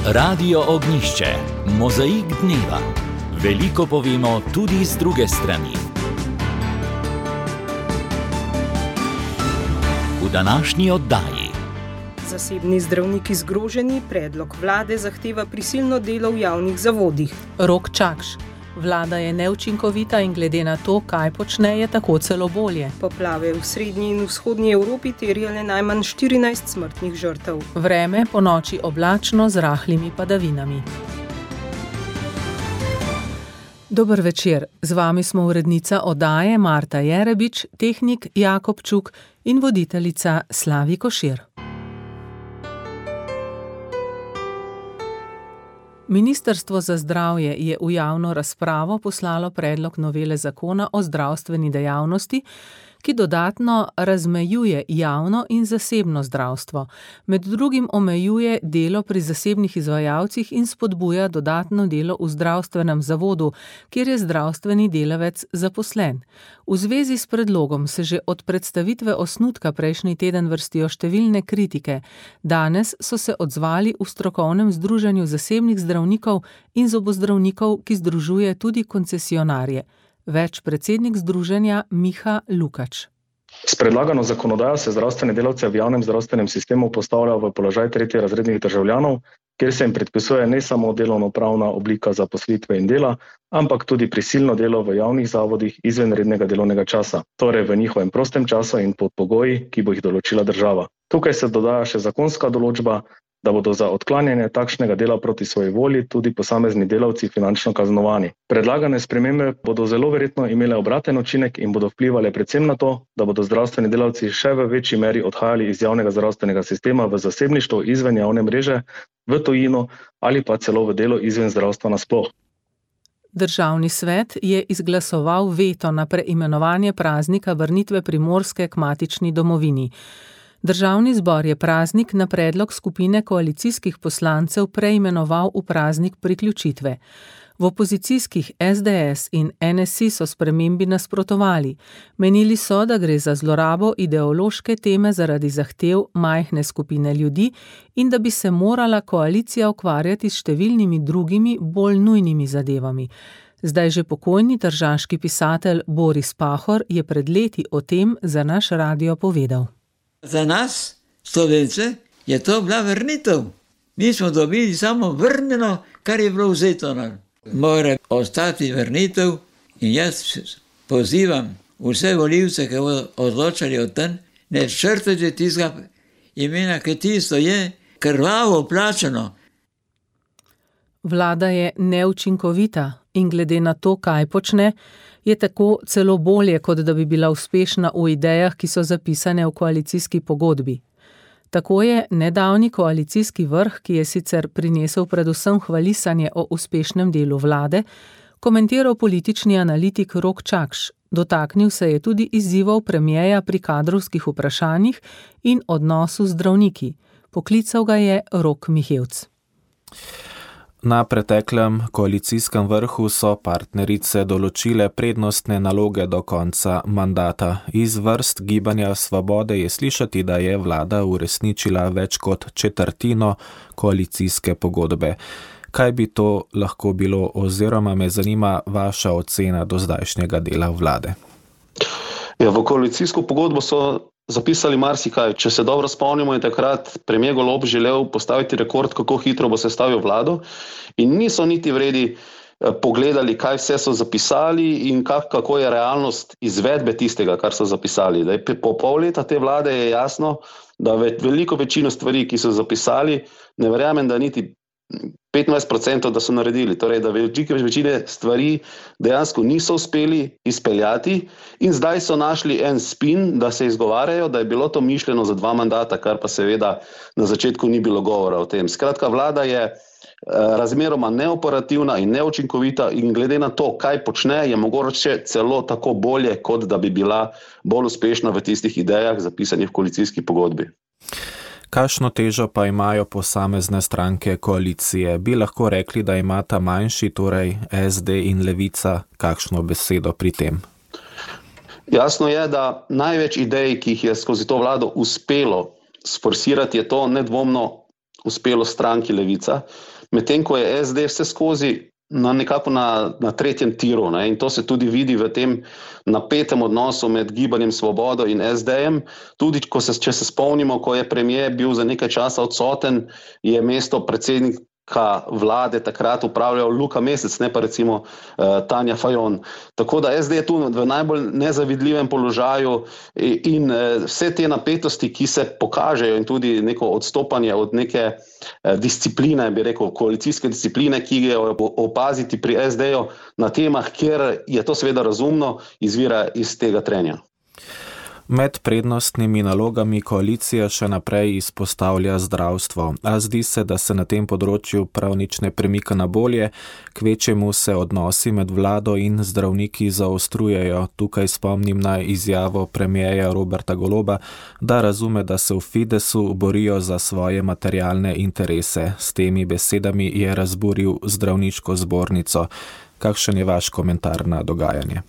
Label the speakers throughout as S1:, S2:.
S1: Radio Ognjišče, mozaik dneva. Veliko povemo tudi z druge strani. V današnji oddaji.
S2: Zasebni zdravniki zgroženi, predlog vlade zahteva prisilno delo v javnih zavodih.
S3: Rok Čakš. Vlada je neučinkovita in glede na to, kaj počne, je tako celo bolje.
S2: Poplave v srednji in vzhodnji Evropi terjale najmanj 14 smrtnih žrtev.
S3: Vreme ponoči oblačno z rahlimi padavinami. Dober večer, z vami smo urednica oddaje Marta Jerebič, tehnik Jakob Čuk in voditeljica Slavi Košir. Ministrstvo za zdravje je v javno razpravo poslalo predlog novele zakona o zdravstveni dejavnosti, ki dodatno razmejuje javno in zasebno zdravstvo. Med drugim omejuje delo pri zasebnih izvajalcih in spodbuja dodatno delo v zdravstvenem zavodu, kjer je zdravstveni delavec zaposlen. V zvezi s predlogom se že od predstavitve osnutka prejšnji teden vrstijo številne kritike. Danes so se odzvali v strokovnem združenju zasebnih zdravnikov in zobozdravnikov, ki združuje tudi koncesionarje. Več predsednik združenja Miha Lukač.
S4: S predlagano zakonodajo se zdravstvene delavce v javnem zdravstvenem sistemu postavlja v položaj tretjerazrednih državljanov, kjer se jim predpisuje ne samo delovnopravna oblika zaposlitve in dela, ampak tudi prisilno delo v javnih zavodih izven rednega delovnega časa, torej v njihovem prostem času in pod pogoji, ki bo jih določila država. Tukaj se dodaja še zakonska določba, da bodo za odklanjanje takšnega dela proti svoji volji tudi posamezni delavci finančno kaznovani. Predlagane spremembe bodo zelo verjetno imele obraten učinek in bodo vplivale predvsem na to, da bodo zdravstveni delavci še v večji meri odhajali iz javnega zdravstvenega sistema v zasebništvo izven javne mreže, v tujino ali pa celo v delo izven zdravstva nasploh.
S3: Državni svet je izglasoval veto na preimenovanje praznika vrnitve Primorske k matični domovini. Državni zbor je praznik na predlog skupine koalicijskih poslancev preimenoval v praznik priključitve. V opozicijskih SDS in NSI so spremembi nasprotovali. Menili so, da gre za zlorabo ideološke teme zaradi zahtev majhne skupine ljudi in da bi se morala koalicija ukvarjati s številnimi drugimi, bolj nujnimi zadevami. Zdaj že pokojni tržaški pisatelj Boris Pahor je pred leti o tem za naš radio povedal.
S5: Za nas, Slovence, je to bila vrnitev. Mi smo dobili samo vrnjeno, kar je bilo vzeto nam. Mora ostati vrnitev in jaz pozivam vse volivce, ki bodo odločali o tem, ne črtajte tistega imena, ki tisto je krvavo plačano.
S3: Vlada je neučinkovita in glede na to, kaj počne, je tako celo bolje, kot da bi bila uspešna v idejah, ki so zapisane v koalicijski pogodbi. Tako je nedavni koalicijski vrh, ki je sicer prinesel predvsem hvalisanje o uspešnem delu vlade, komentiral politični analitik Rok Čakš. Dotaknil se je tudi izzivov premierja pri kadrovskih vprašanjih in odnosu z zdravniki. Poklical ga je Rok Mihevc.
S6: Na preteklem koalicijskem vrhu so partnerice določile prednostne naloge do konca mandata. Iz vrst Gibanja Svobode je slišati, da je vlada uresničila več kot četrtino koalicijske pogodbe. Kaj bi to lahko bilo oziroma me zanima vaša ocena do zdajšnjega dela vlade?
S7: Ja, v koalicijsko pogodbo so zapisali marsikaj. Če se dobro spomnimo, je takrat premier Golob želel postaviti rekord, kako hitro bo sestavil vlado in niso niti vredi pogledali, kaj vse so zapisali in kako je realnost izvedbe tistega, kar so zapisali. Po pol leta te vlade je jasno, da veliko večino stvari, ki so zapisali, ne verjamem, da niti 25%, da so naredili, torej da velike večine stvari dejansko niso uspeli izpeljati in zdaj so našli en spin, da se izgovarjajo, da je bilo to mišljeno za 2 mandata, kar pa seveda na začetku ni bilo govora o tem. Skratka, vlada je razmeroma neoperativna in neučinkovita in glede na to, kaj počne, je mogoče celo tako bolje, kot da bi bila bolj uspešna v tistih idejah zapisanih v koalicijski pogodbi.
S6: Kakšno težo pa imajo posamezne stranke koalicije? Bi lahko rekli, da imata manjši, torej SD in Levica, kakšno besedo pri tem?
S7: Jasno je, da največ idej, ki jih je skozi to vlado uspelo sforsirati, je to nedvomno uspelo stranki Levica. medtem ko je SD vse skozi nekako na tretjem tiru, ne? In to se tudi vidi v tem napetem odnosu med Gibanjem Svobodo in SD-jem. Tudi, če se spomnimo, ko je premier bil za nekaj časa odsoten, je mesto predsednika vlade takrat upravljal Luka Mesec, ne pa recimo Tanja Fajon. Tako da SD je tu v najbolj nezavidljivem položaju in vse te napetosti, ki se pokažejo in tudi neko odstopanje od neke discipline, bi rekel, koalicijske discipline, ki je opaziti pri SD-ju na temah, kjer je to seveda razumno, izvira iz tega trenja.
S6: Med prednostnimi nalogami koalicija še naprej izpostavlja zdravstvo, a zdi se, da se na tem področju prav nič ne premika na bolje, kvečjemu se odnosi med vlado in zdravniki zaostrujejo. Tukaj spomnim na izjavo premierja Roberta Goloba, da razume, da se v Fidesu borijo za svoje materialne interese. S temi besedami je razburil zdravniško zbornico. Kakšen je vaš komentar na dogajanje?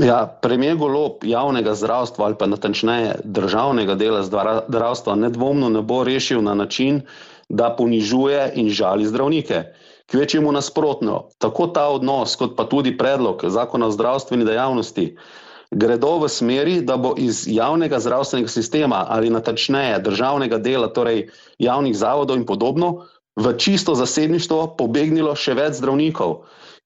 S7: Ja, premier Golob javnega zdravstva ali pa natančneje državnega dela zdravstva nedvomno ne bo rešil na način, da ponižuje in žali zdravnike. Kvečjemu nasprotno, tako ta odnos kot pa tudi predlog zakona o zdravstveni dejavnosti gredo v smeri, da bo iz javnega zdravstvenega sistema ali natančneje državnega dela, torej javnih zavodov in podobno, v čisto zasebništvo pobegnilo še več zdravnikov.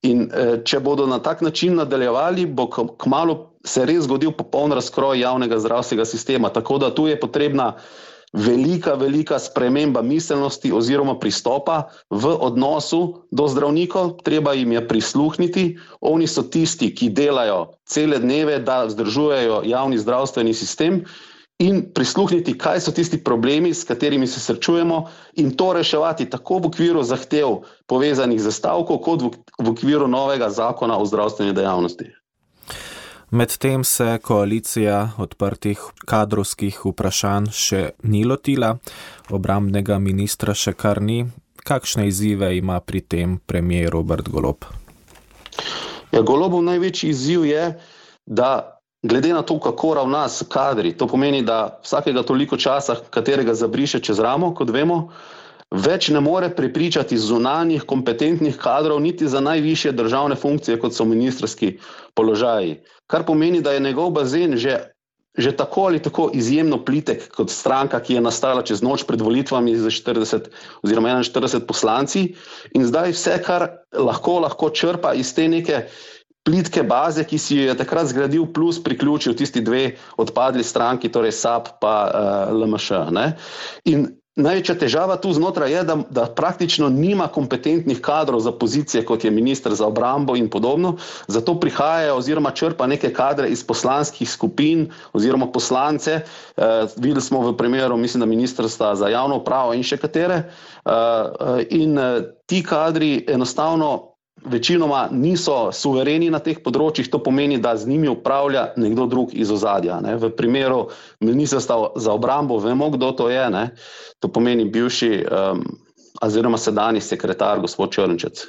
S7: In če bodo na tak način nadaljevali, bo kmalu se res zgodil popoln razkroj javnega zdravstvenega sistema. Tako da tu je potrebna velika sprememba miselnosti oziroma pristopa v odnosu do zdravnikov. Treba jim je prisluhniti. Oni so tisti, ki delajo cele dneve, da vzdržujejo javni zdravstveni sistem, in prisluhniti, kaj so tisti problemi, s katerimi se srečujemo, in to reševati tako v okviru zahtev povezanih z stavko, kot v okviru novega zakona o zdravstveni dejavnosti.
S6: Medtem se koalicija odprtih kadrovskih vprašanj še ni lotila, obrambnega ministra še kar ni. Kakšne izzive ima pri tem premier Robert Golob?
S7: Ja, Golobov največji izziv je, da glede na to, kako ravna s kadri, to pomeni, da vsakega toliko časa, katerega zabriše čez ramo, kot vemo, več ne more prepričati zunanjih kompetentnih kadrov niti za najvišje državne funkcije, kot so ministrski položaji. Kar pomeni, da je njegov bazen že tako ali tako izjemno plitek kot stranka, ki je nastala čez noč pred volitvami z 40 oziroma 41 poslanci, in zdaj vse, kar lahko črpa iz te neke plitke baze, ki si jo je takrat zgradil, plus priključil tisti dve odpadli stranki, torej SAB pa LMŠ. Ne? In največja težava tu znotraj je, da praktično nima kompetentnih kadrov za pozicije, kot je minister za obrambo in podobno, zato prihajajo oziroma črpa neke kadre iz poslanskih skupin oziroma poslance. Videli smo v primeru, mislim, da ministrstva za javno upravo in še katere. In ti kadri enostavno večinoma niso suvereni na teh področjih, to pomeni, da z njimi upravlja nekdo drug iz ozadja. Ne. V primeru ministrstva za obrambo vemo, kdo to je. Ne. To pomeni bivši oziroma sedanji sekretar, gospod Črnčec.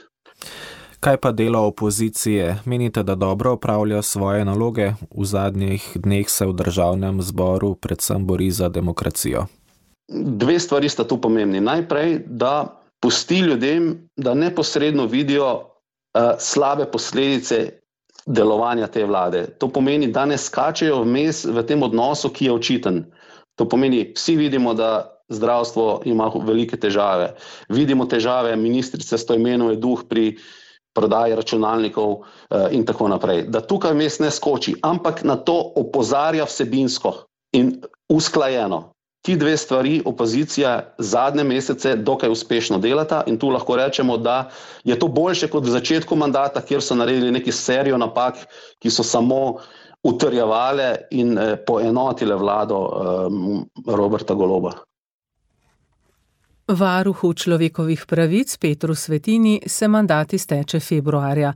S6: Kaj pa delo opozicije? Menite, da dobro opravlja svoje naloge? V zadnjih dneh se v državnem zboru predvsem bori za demokracijo.
S7: Dve stvari sta tu pomembni. Najprej, da pusti ljudem, da neposredno vidijo slabe posledice delovanja te vlade. To pomeni, da ne skačejo vmes v tem odnosu, ki je očiten. To pomeni, vsi vidimo, da zdravstvo ima velike težave. Vidimo težave ministrice Stojmenove Duh pri prodaji računalnikov in tako naprej. Da tukaj vmes ne skoči, ampak na to opozarja vsebinsko in usklajeno. Ti dve stvari opozicija zadnje mesece dokaj uspešno delata in tu lahko rečemo, da je to boljše kot v začetku mandata, kjer so naredili neki serijo napak, ki so samo utrjevale in poenotile vlado Roberta Goloba.
S3: Varuhu človekovih pravic Petru Svetini se mandat izteče februarja.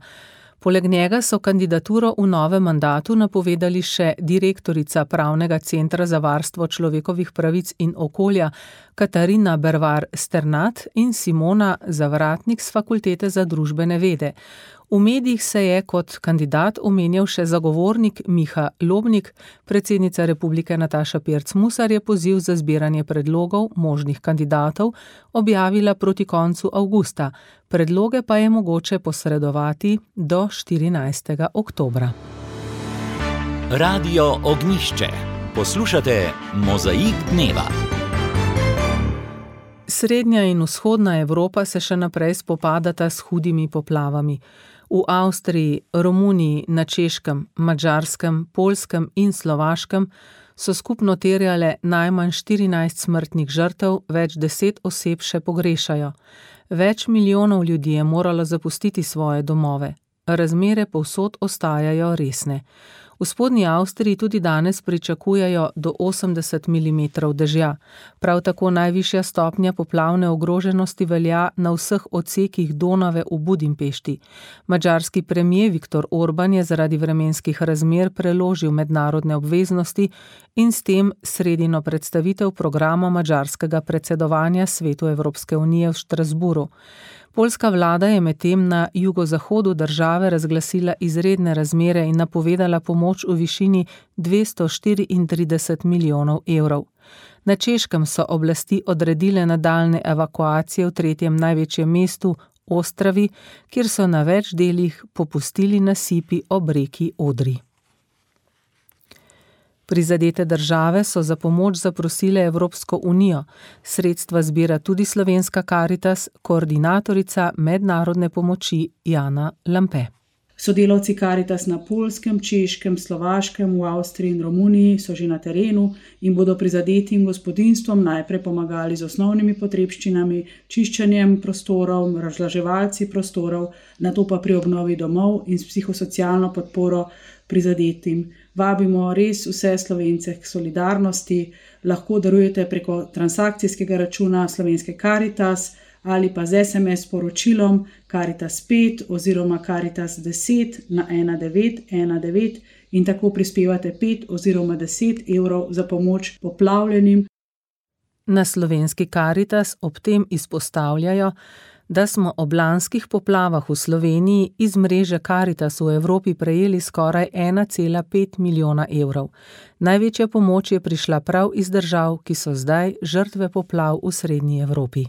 S3: Poleg njega so kandidaturo v novem mandatu napovedali še direktorica Pravnega centra za varstvo človekovih pravic in okolja, Katarina Bervar-Sternat in Simona Zavratnik z Fakultete za družbene vede. V medijih se je kot kandidat omenjal še zagovornik Miha Lobnik, predsednica Republike Nataša Pirc Musar je poziv za zbiranje predlogov možnih kandidatov objavila proti koncu avgusta. Predloge pa je mogoče posredovati do 14. oktobra.
S1: Radio Ognjišče. Poslušate Mozaik dneva.
S3: Srednja in vzhodna Evropa se še naprej spopadata s hudimi poplavami. V Avstriji, Romuniji, na Češkem, Madžarskem, Poljskem in Slovaškem so skupno terjale najmanj 14 smrtnih žrtev, več 10 oseb še pogrešajo. Več milijonov ljudi je moralo zapustiti svoje domove. Razmere povsod ostajajo resne. V spodnji Avstriji tudi danes pričakujejo do 80 mm dežja. Prav tako najvišja stopnja poplavne ogroženosti velja na vseh odsekih Donave v Budimpešti. Madžarski premier Viktor Orban je zaradi vremenskih razmer preložil mednarodne obveznosti in s tem sredino predstavitev programa madžarskega predsedovanja Svetu Evropske unije v Štrasburu. Poljska vlada je medtem na jugozahodu države razglasila izredne razmere in napovedala pomoč v višini 234 milijonov evrov. Na Češkem so oblasti odredile nadaljnje evakuacije v tretjem največjem mestu, Ostravi, kjer so na več delih popustili nasipi ob reki Odri. Prizadete države so za pomoč zaprosile Evropsko unijo. Sredstva zbira tudi slovenska Karitas, koordinatorica mednarodne pomoči Jana Lampe.
S8: Sodelavci Karitas na Poljskem, Češkem, Slovaškem, v Avstriji in Romuniji so že na terenu in bodo prizadetim gospodinjstvom najprej pomagali z osnovnimi potrebščinami, čiščenjem prostorov, razlaževalci prostorov, nato pa pri obnovi domov in s psihosocialno podporo prizadetim. Vabimo res vse Slovence k solidarnosti, lahko darujete preko transakcijskega računa slovenske Karitas ali pa z SMS sporočilom Karitas 5 oziroma Karitas 10 na 1919 in tako prispevate 5 oziroma 10 evrov za pomoč poplavljenim.
S3: Na slovenski Karitas ob tem izpostavljajo, da smo ob lanskih poplavah v Sloveniji iz mreže Karitas v Evropi prejeli skoraj 1,5 milijona evrov. Največja pomoč je prišla prav iz držav, ki so zdaj žrtve poplav v srednji Evropi.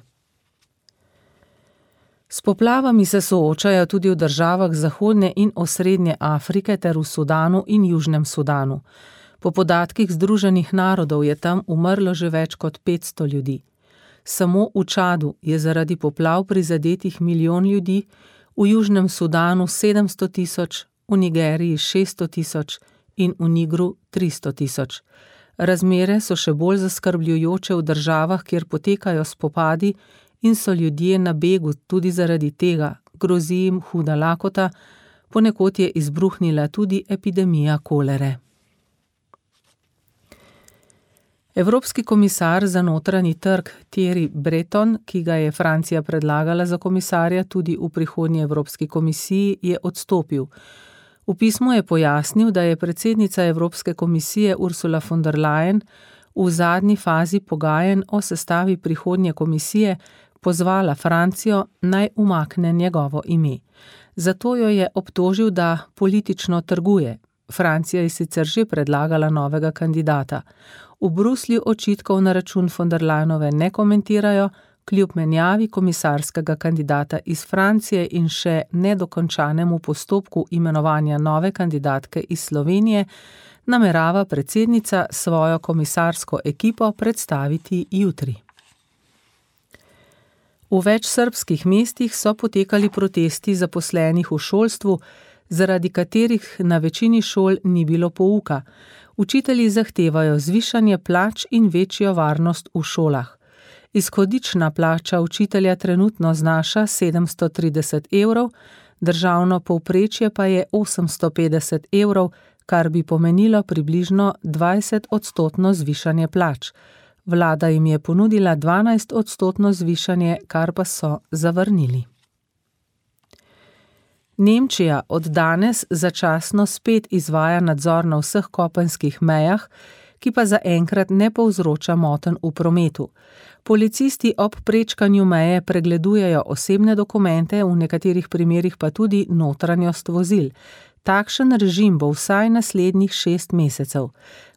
S3: S poplavami se soočajo tudi v državah zahodne in osrednje Afrike ter v Sudanu in Južnem Sudanu. Po podatkih Združenih narodov je tam umrlo že več kot 500 ljudi. Samo v Čadu je zaradi poplav prizadetih milijon ljudi, v Južnem Sudanu 700 tisoč, v Nigeriji 600 tisoč in v Nigru 300 tisoč. Razmere so še bolj zaskrbljujoče v državah, kjer potekajo spopadi in so ljudje na begu tudi zaradi tega, grozi jim huda lakota, ponekod je izbruhnila tudi epidemija kolere. Evropski komisar za notranji trg Thierry Breton, ki ga je Francija predlagala za komisarja tudi v prihodnji Evropski komisiji, je odstopil. V pismu je pojasnil, da je predsednica Evropske komisije Ursula von der Leyen v zadnji fazi pogajanj o sestavi prihodnje komisije pozvala Francijo naj umakne njegovo ime. Zato jo je obtožil, da politično trguje. Francija je sicer že predlagala novega kandidata. V Bruslju očitkov na račun von der Leyenove ne komentirajo, kljub menjavi komisarskega kandidata iz Francije in še nedokončanemu postopku imenovanja nove kandidatke iz Slovenije, namerava predsednica svojo komisarsko ekipo predstaviti jutri. V več srbskih mestih so potekali protesti zaposlenih v šolstvu, zaradi katerih na večini šol ni bilo pouka. Učitelji zahtevajo zvišanje plač in večjo varnost v šolah. Izhodična plača učitelja trenutno znaša 730 evrov, državno povprečje pa je 850 evrov, kar bi pomenilo približno 20% zvišanje plač. Vlada jim je ponudila 12% zvišanje, kar pa so zavrnili. Nemčija od danes začasno spet izvaja nadzor na vseh kopenskih mejah, ki pa zaenkrat ne povzroča motenj v prometu. Policisti ob prečkanju meje pregledujejo osebne dokumente, v nekaterih primerih pa tudi notranjost vozil. Takšen režim bo vsaj naslednjih 6 mesecev.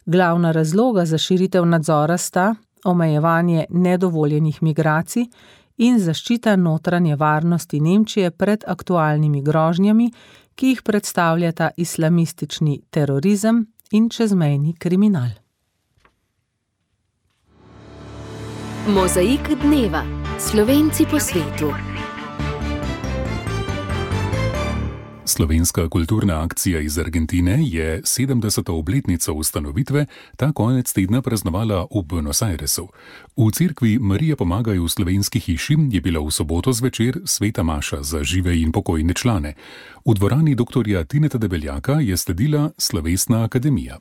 S3: Glavna razloga za širitev nadzora sta omejevanje nedovoljenih migracij in zaščita notranje varnosti Nemčije pred aktualnimi grožnjami, ki jih predstavljata islamistični terorizem in čezmejni kriminal.
S9: Mozaik dneva. Slovenci po svetu.
S10: Slovenska kulturna akcija iz Argentine je 70. obletnico ustanovitve ta konec tedna praznovala v Buenos Airesu. V cerkvi Marije pomagaj v slovenski hiši je bila v soboto zvečer sveta maša za žive in pokojne člane. V dvorani dr. Tineta Debeljaka je sledila slovesna akademija.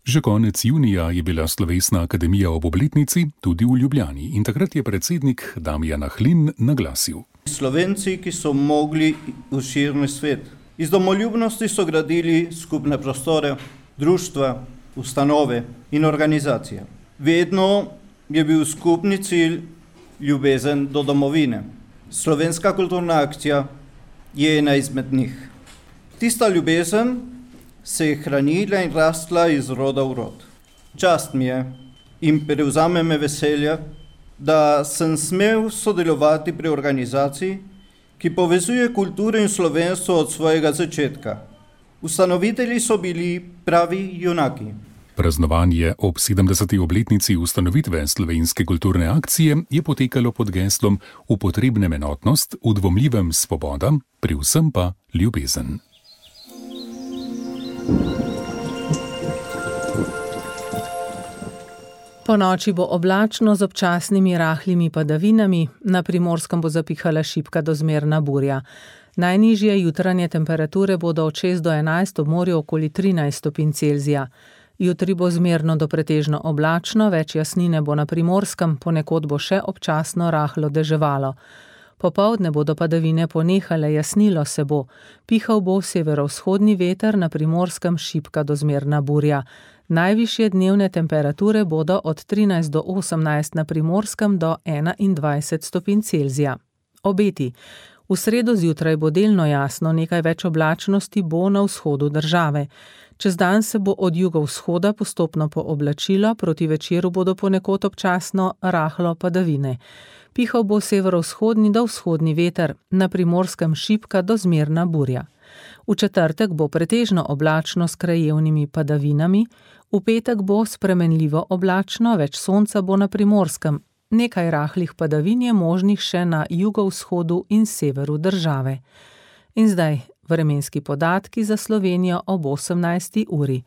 S10: Že konec junija je bila slovesna akademija ob obletnici tudi v Ljubljani in takrat je predsednik Damjan Ahlin naglasil.
S11: Slovenci, ki so mogli v širni svet. Iz domoljubnosti so gradili skupne prostore, društva, ustanove in organizacije. Vedno je bil skupni cilj ljubezen do domovine. Slovenska kulturna akcija je ena izmed njih. Tista ljubezen se je hranila in rastla iz roda v rod. Čast mi je in prevzame me veselje, da sem smel sodelovati pri organizaciji, ki povezuje kulturo in slovenstvo od svojega začetka. Ustanovitelji so bili pravi junaki.
S10: Praznovanje ob 70. obletnici ustanovitve Slovenske kulturne akcije je potekalo pod geslom V potrebnem enotnost, v dvomljivem svoboda, pri vsem pa ljubezen.
S3: Po noči bo oblačno z občasnimi rahlimi padavinami, na Primorskem bo zapihala šibka do zmerna burja. Najnižje jutranje temperature bodo od 6 do 11, ob morju okoli 13 stopinj Celzija. Jutri bo zmerno do pretežno oblačno, več jasnine bo na Primorskem, ponekod bo še občasno rahlo deževalo. Popoldne bodo padavine ponehale, jasnilo se bo. Pihal bo severovzhodni veter, na Primorskem šibka do zmerna burja. Najvišje dnevne temperature bodo od 13 do 18, na Primorskem do 21 stopinj Celzija. Obeti. V sredo zjutraj bo delno jasno, nekaj več oblačnosti bo na vzhodu države. Čez dan se bo od jugovzhoda postopno pooblačilo, proti večeru bodo ponekod občasno rahlo padavine. Pihal bo severovzhodni do vzhodni veter, na Primorskem šibka do zmerna burja. V četrtek bo pretežno oblačno s krajevnimi padavinami, v petek bo spremenljivo oblačno, več sonca bo na Primorskem. Nekaj rahlih padavin je možnih še na jugovzhodu in severu države. In zdaj vremenski podatki za Slovenijo ob 18. uri.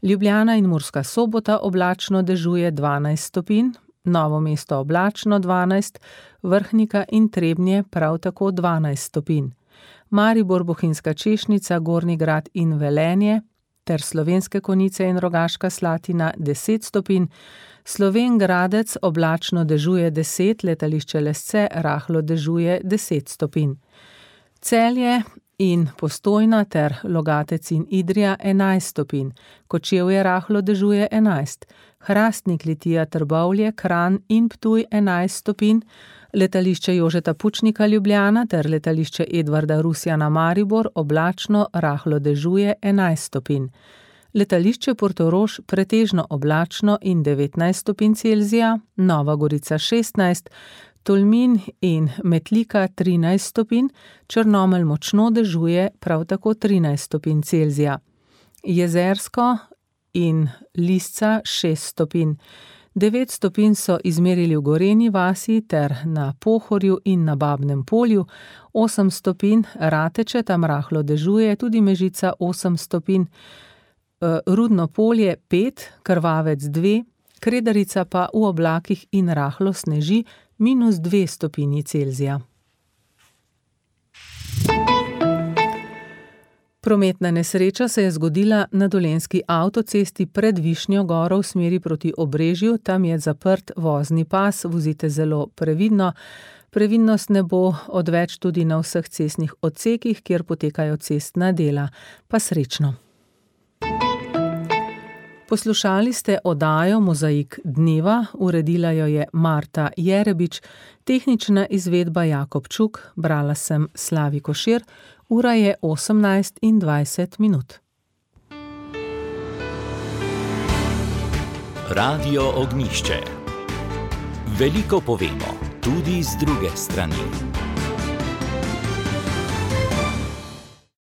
S3: Ljubljana in Murska Sobota oblačno dežuje 12 stopinj, Novo mesto oblačno 12, Vrhnika in Trebnje prav tako 12 stopinj. Maribor, Bohinjska Češnica, Gornji Grad in Velenje ter Slovenske Konjice in Rogaška Slatina 10 stopinj, Slovenj Gradec oblačno dežuje 10, Letališče Lesce rahlo dežuje 10 stopinj. Celje in Postojna ter Logatec in Idrija 11 stopinj, Kočevje rahlo dežuje 11, Hrastnik, Litija, Trbovlje, Kranj in Ptuj 11 stopinj, Letališče Jožeta Pučnika Ljubljana ter Letališče Edvarda Rusjana Maribor oblačno rahlo dežuje 11 stopinj. Letališče Portorož pretežno oblačno in 19 stopinj Celzija, Nova Gorica 16, Tolmin in Metlika 13 stopinj, Črnomelj močno dežuje prav tako 13 stopinj Celzija. Jezersko in Lisca 6 stopinj. 9 stopinj so izmerili v Gorenji vasi ter na Pohorju in na Babnem polju, 8 stopinj Rateče, tam rahlo dežuje, tudi Mežica 8 stopinj, Rudno polje 5, Krvavec 2, Kredarica pa v oblakih in rahlo sneži -2 stopinji Celzija. Prometna nesreča se je zgodila na Dolenjski avtocesti pred Višnjo goro v smeri proti Obrežju, tam je zaprt vozni pas, vozite zelo previdno. Previdnost ne bo odveč tudi na vseh cestnih odsekih, kjer potekajo cestna dela. Pa srečno. Poslušali ste oddajo Mozaik dneva, uredila jo je Marta Jerebič, tehnična izvedba Jakob Čuk, brala sem Slavi Košir, ura je 18:20.
S1: Radio Ognjišče. Veliko povemo, tudi z druge strani.